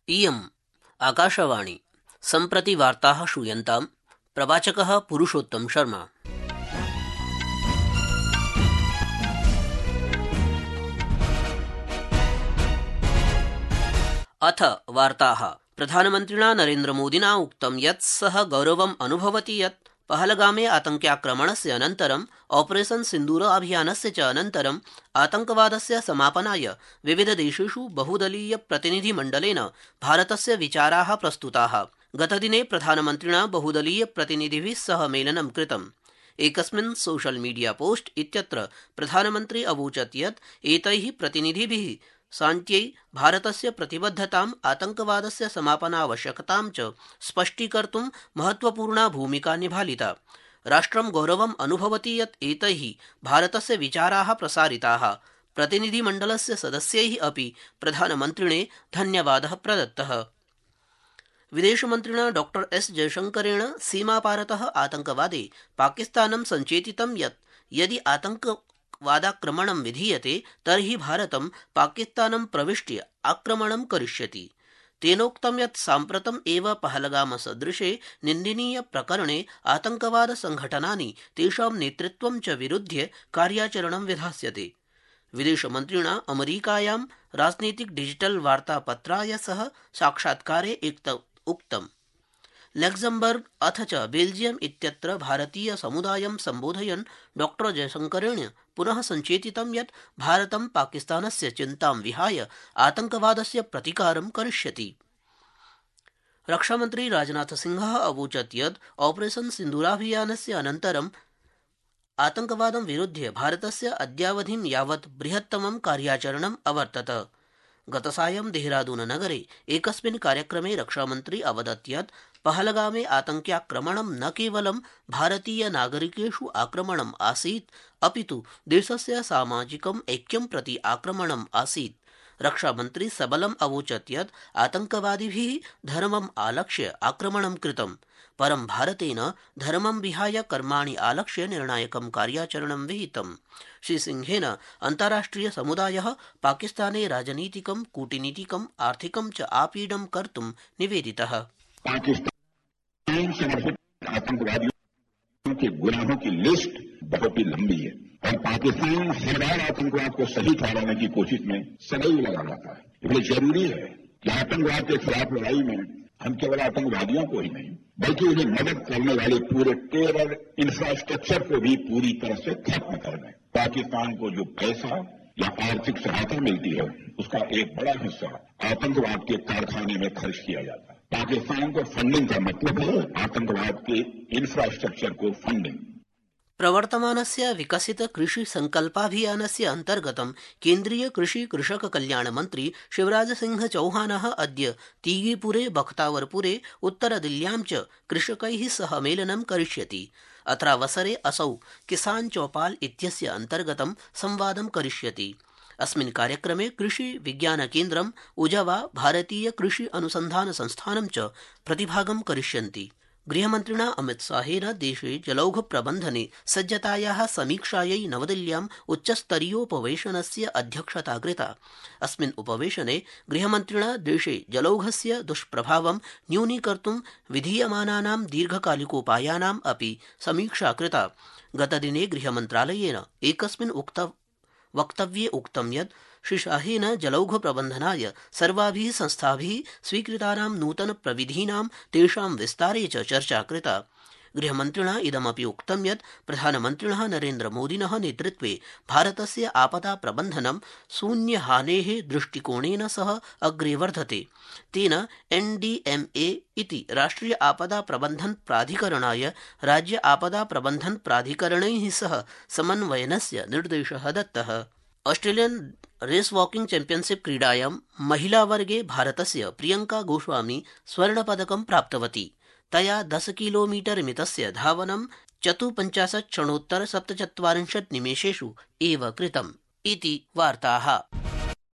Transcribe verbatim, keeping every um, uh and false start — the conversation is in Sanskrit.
इयम् आकाशवाणी। सम्प्रति वार्ताः श्रूयन्ताम्। प्रवाचकः पुरुषोत्तम शर्मा। अथ वार्ताः। प्रधानमन्त्रिणा नरेन्द्रमोदिना उक्तं यत् सः गौरवम् अनुभवति यत् पहलगामे आतङ्क्याक्रमणस्य अनन्तरं ऑपरेशन सिन्दूर अभियानस्य च अनन्तरं आतङ्कवादस्य समापनाय विविधदेशेषु बहुदलीय प्रतिनिधिमण्डलेन भारतस्य विचाराः प्रस्तुताः। गतदिने प्रधानमन्त्रिणा बहुदलीय प्रतिनिधिभिः सह मेलनं कृतम्। एकस्मिन् सोशल मीडिया पोस्ट इत्यत्र प्रधानमन्त्री अवोचत् यत् एतैः प्रतिनिधिभिः शान्त्यै भारतस्य प्रतिबद्धताम् आतङ्कवादस्य समापनावश्यकतां च स्पष्टीकर्तुं महत्वपूर्णा भूमिका निभालिता। राष्ट्रं गौरवम् अनुभवति यत् एतैः भारतस्य विचाराः प्रसारिताः। प्रतिनिधिमण्डलस्य सदस्यैः अपि प्रधानमन्त्रिणे धन्यवादः प्रदत्तः। विदेशमन्त्रिणा डॉ एस जयशंकरेण सीमापारतः आतङ्कवादे पाकिस्तानं सञ्चेतितं यत् यदि आतङ्क वादाक्रमणं विधीयते तर्हि भारतं पाकिस्तानं प्रविष्ट्य आक्रमणं करिष्यति। तेनोक्तं यत् साम्प्रतम् एव पहलगाम सदृशे निन्दनीय प्रकरणे आतङ्कवाद संघटनानि तेषां नेतृत्वं च विरुध्य कार्याचरणं विधास्यते। विदेशमन्त्रिणा अमेरिकायां राजनीतिक डिजिटल वार्तापत्राय सह साक्षात्कारे उक्तम्। लग्जमबर्ग अथ च बेल्जियम इत्यत्र भारतीय समुदायं सम्बोधयन् डॉ जयशंकरेण पुनः सञ्चेतितं यत् भारतं पाकिस्तानस्य चिन्तां विहाय आतङ्कवादस्य प्रतिकारं करिष्यति। रक्षामन्त्री राजनाथसिंहः अवोचत् यत् ऑपरेशन सिन्दूराभियानस्य अनन्तरं आतङ्कवादं विरुध्य भारतस्य अद्यावधिं यावत् बृहत्तमं कार्याचरणम् अवर्तत। गतसायं देहरादून नगरे एकस्मिन् कार्यक्रमे रक्षामन्त्री अवदत् यत् पहलगामे आतङ्क्याक्रमणं न केवलं भारतीय नागरिकेषु आक्रमणम् आसीत् अपितु देशस्य सामाजिकम् ऐक्यं प्रति आक्रमणम् आसीत्। रक्षामन्त्री सबलम् अवोचत् यत् आतङ्कवादिभिः धर्मम् आलक्ष्य आक्रमणं कृतं, परं भारतेन धर्मं विहाय कर्माणि आलक्ष्य निर्णायकं कार्याचरणं विहितम्। श्रीसिंहेन अन्ताराष्ट्रिय समुदायः पाकिस्ताने राजनीतिकं, कूटनीतिकं, आर्थिकं च आपीडं कर्तुं निवेदितः। पाकिस्तान समर्थित आतंकवादियों के गुनाहों की लिस्ट बहुत ही लंबी है और पाकिस्तान हर बार आतंकवाद को सही ठहराने की कोशिश में सदैव लगा रहता है। इसलिए जरूरी है कि आतंकवाद के खिलाफ लड़ाई में हम केवल आतंकवादियों को ही नहीं बल्कि उन्हें मदद करने वाले पूरे टेरर इंफ्रास्ट्रक्चर को भी पूरी तरह से खत्म कर दें। पाकिस्तान को जो पैसा या आर्थिक सहायता मिलती है उसका एक बड़ा हिस्सा आतंकवाद के कारखाने में खर्च किया जाता है। पाकिस्तान को फंडिंग का मतलब है आतंकवाद के इंफ्रास्ट्रक्चर को फंडिंग। प्रवर्तमानस्य विकसित कृषि संकल्पाभियानस्य अन्तर्गतं केन्द्रीय कृषि कृषक कल्याण मन्त्री शिवराज सिंह चौहानः अद्य तीगीपुरे, बख्तावरपुरे, उत्तरदिल्ल्यां च कृषकैः सह मेलनं करिष्यति। अत्रावसरे असौ किसान चौपाल इत्यस्य अन्तर्गतं संवादं करिष्यति। अस्मिन् कार्यक्रमे कृषि विज्ञान केन्द्रम्, उजवा, भारतीय कृषि अनुसन्धान संस्थानं च प्रतिभागं करिष्यन्ति। गृहमन्त्रिणा अमितशाहेन देशे जलौघ प्रबन्धने सज्जतायाः समीक्षायै नवदिल्ल्याम् उच्चस्तरीयोपवेशनस्य अध्यक्षता कृता। अस्मिन् उपवेशने गृहमन्त्रिणा देशे जलौघस्य दुष्प्रभावं न्यूनीकर्तुं विधीयमानानां दीर्घकालिकोपायानाम् अपि समीक्षा कृता। गतदिने गृहमन्त्रालयेन एकस्मिन् उक्त वक्तव्ये उक्तं यत् श्रीशाहेन जलौघ प्रबन्धनाय सर्वाभिः संस्थाभिः स्वीकृतानां नूतन प्रविधीनां तेषां विस्तारे च चर्चा कृता। गृहमन्त्रिणा इदमपि उक्तं यत् प्रधानमन्त्रिणः नरेन्द्रमोदिनः नेतृत्वे भारतस्य आपदा प्रबन्धनं शून्यहानेः दृष्टिकोणेन सह अग्रे वर्धते। तेन एन डी एम ए इति राष्ट्रिय आपदा प्रबन्धन प्राधिकरणाय राज्य आपदा प्रबन्धन प्राधिकरणैः सह समन्वयनस्य निर्देशः दत्तः। ऑस्ट्रेलियन रेस वॉकिंग चैंपियनशिप क्रीडायां महिलावर्गे भारतस्य प्रियंका गोस्वामी स्वर्णपदकं प्राप्तवती। तया दश किलोमीटर मितस्य धावनं चतुपञ्चाशत् क्षणोत्तर सप्तचत्वारिंशत् निमेषेषु एव कृतम् इति वार्ताः।